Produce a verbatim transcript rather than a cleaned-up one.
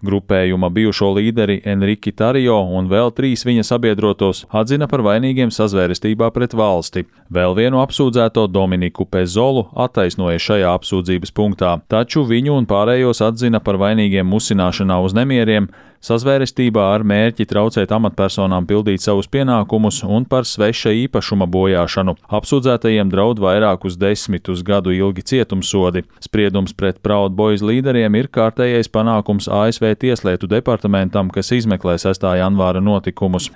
Grupējuma bijušo līderi Enriki Tarjo un vēl trīs viņa sabiedrotos atzina par vainīgiem sazvērestībā pret valsti. Vēl vienu apsūdzēto Dominiku Pezolu attaisnoja šajā apsūdzības punktā, taču viņu un pārējos atzina par vainīgiem musināšanā uz nemieriem, sazvērestībā ar mērķi traucēt amatpersonām pildīt savus pienākumus un par sveša īpašuma bojāšanu. Apsūdzētajiem draud vairākus desmitus gadu ilgi cietumsodi. Spriedums pret Proud Boys līderiem ir kārtējais panākums A S V Tieslietu departamentam, kas izmeklē sestā janvāra notikumus.